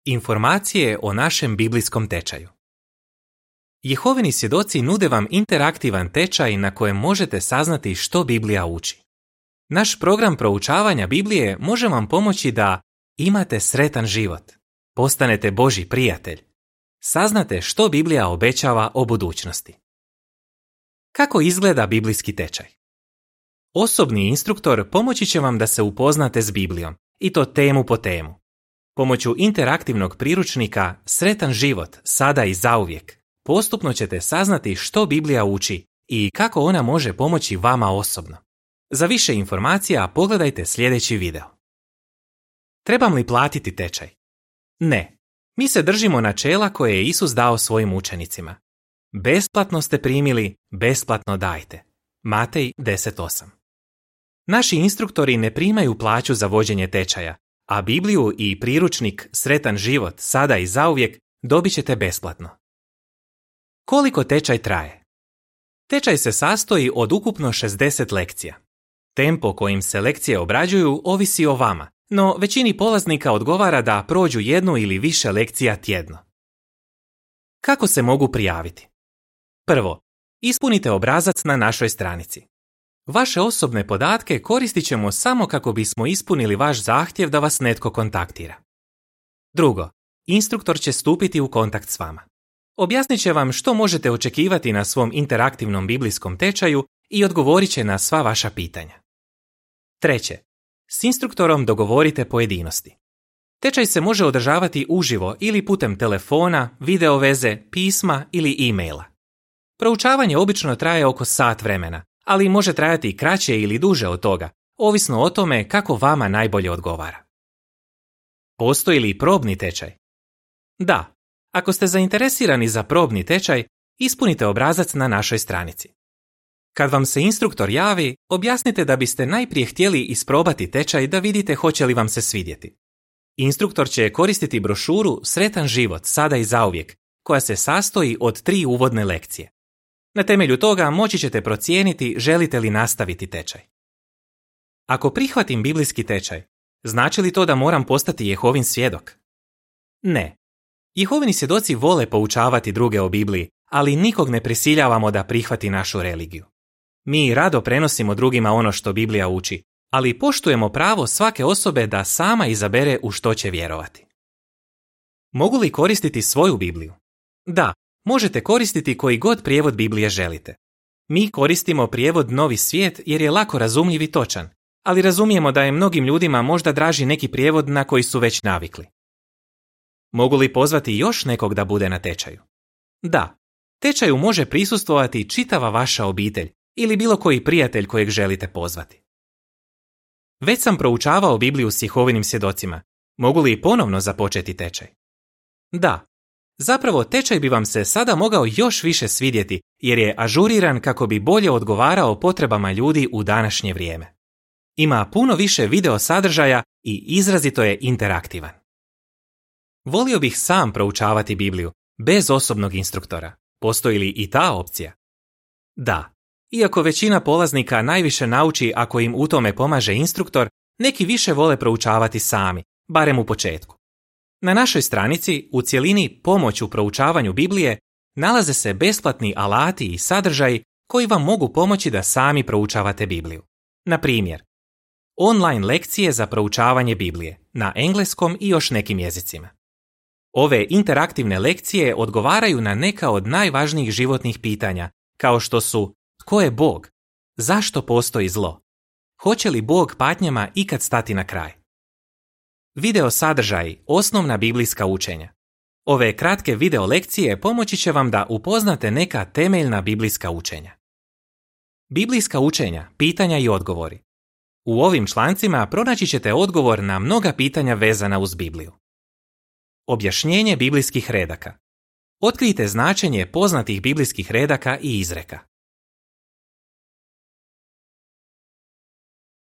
Informacije o našem biblijskom tečaju. Jehovini svjedoci nude vam interaktivan tečaj na kojem možete saznati što Biblija uči. Naš program proučavanja Biblije može vam pomoći da imate sretan život, postanete Božji prijatelj, saznate što Biblija obećava o budućnosti. Kako izgleda biblijski tečaj? Osobni instruktor pomoći će vam da se upoznate s Biblijom, i to temu po temu. Pomoću interaktivnog priručnika Sretan život, sada i zauvijek, postupno ćete saznati što Biblija uči i kako ona može pomoći vama osobno. Za više informacija pogledajte sljedeći video. Trebam li platiti tečaj? Ne. Mi se držimo načela koje je Isus dao svojim učenicima. Besplatno ste primili, besplatno dajte. Matej 10:8. Naši instruktori ne primaju plaću za vođenje tečaja, a Bibliju i priručnik Sretan život, sada i zauvijek dobit ćete besplatno. Koliko tečaj traje? Tečaj se sastoji od ukupno 60 lekcija. Tempo kojim se lekcije obrađuju ovisi o vama, no većini polaznika odgovara da prođu jednu ili više lekcija tjedno. Kako se mogu prijaviti? Prvo, ispunite obrazac na našoj stranici. Vaše osobne podatke koristit ćemo samo kako bismo ispunili vaš zahtjev da vas netko kontaktira. Drugo, instruktor će stupiti u kontakt s vama. Objasnit će vam što možete očekivati na svom interaktivnom biblijskom tečaju i odgovorit će na sva vaša pitanja. Treće, s instruktorom dogovorite pojedinosti. Tečaj se može održavati uživo ili putem telefona, video veze, pisma ili e-maila. Proučavanje obično traje oko sat vremena, ali može trajati i kraće ili duže od toga, ovisno o tome kako vama najbolje odgovara. Postoji li probni tečaj? Da. Ako ste zainteresirani za probni tečaj, ispunite obrazac na našoj stranici. Kad vam se instruktor javi, objasnite da biste najprije htjeli isprobati tečaj da vidite hoće li vam se svidjeti. Instruktor će koristiti brošuru Sretan život, sada i zauvijek, koja se sastoji od 3 uvodne lekcije. Na temelju toga moći ćete procijeniti želite li nastaviti tečaj. Ako prihvatim biblijski tečaj, znači li to da moram postati Jehovin svjedok? Ne. Jehovini svjedoci vole poučavati druge o Bibliji, ali nikog ne prisiljavamo da prihvati našu religiju. Mi rado prenosimo drugima ono što Biblija uči, ali poštujemo pravo svake osobe da sama izabere u što će vjerovati. Mogu li koristiti svoju Bibliju? Da, možete koristiti koji god prijevod Biblije želite. Mi koristimo prijevod Novi svijet jer je lako razumljiv i točan, ali razumijemo da je mnogim ljudima možda draži neki prijevod na koji su već navikli. Mogu li pozvati još nekog da bude na tečaju? Da, tečaju može prisustvovati čitava vaša obitelj ili bilo koji prijatelj kojeg želite pozvati. Već sam proučavao Bibliju s Jehovinim svjedocima. Mogu li ponovno započeti tečaj? Da. Zapravo tečaj bi vam se sada mogao još više svidjeti jer je ažuriran kako bi bolje odgovarao potrebama ljudi u današnje vrijeme. Ima puno više video sadržaja i izrazito je interaktivan. Volio bih sam proučavati Bibliju, bez osobnog instruktora. Postoji li i ta opcija? Da. Iako većina polaznika najviše nauči ako im u tome pomaže instruktor, neki više vole proučavati sami, barem u početku. Na našoj stranici, u cjelini Pomoć u proučavanju Biblije, nalaze se besplatni alati i sadržaji koji vam mogu pomoći da sami proučavate Bibliju. Na primjer, online lekcije za proučavanje Biblije, na engleskom i još nekim jezicima. Ove interaktivne lekcije odgovaraju na neka od najvažnijih životnih pitanja, kao što su tko je Bog, zašto postoji zlo, hoće li Bog patnjama ikad stati na kraj. Video sadržaji, osnovna biblijska učenja. Ove kratke video lekcije pomoći će vam da upoznate neka temeljna biblijska učenja. Biblijska učenja, pitanja i odgovori. U ovim člancima pronaći ćete odgovor na mnoga pitanja vezana uz Bibliju. Objašnjenje biblijskih redaka. Otkrijte značenje poznatih biblijskih redaka i izreka.